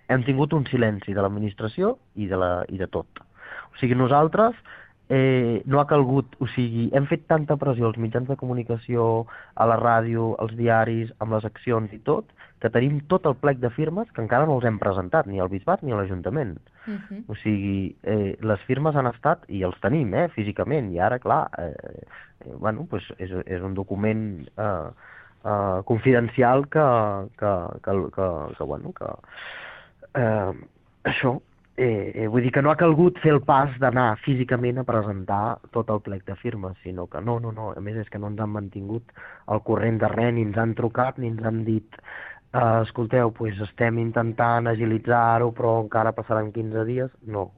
hem tingut un silenci de l'administració i de tot. O sigui, nosaltres no ha calgut, o sigui, hem fet tanta pressió als mitjans de comunicació, a la ràdio, als diaris, amb les accions i tot, que tenim tot el plec de firmes que encara no els hem presentat, ni al Bisbat ni a l'Ajuntament. O sigui, les firmes han estat, i els tenim, físicament, i ara, clar, bueno, pues és un document confidencial bueno, això, vull dir que no ha calgut fer el pas d'anar físicament a presentar tot el plec de firmes, sinó que no, a més és que no ens han mantingut al corrent de res, ni ens han trucat, ni ens han dit escolteu, pues estem intentant agilitzar-ho, però encara passaran 15 dies. No,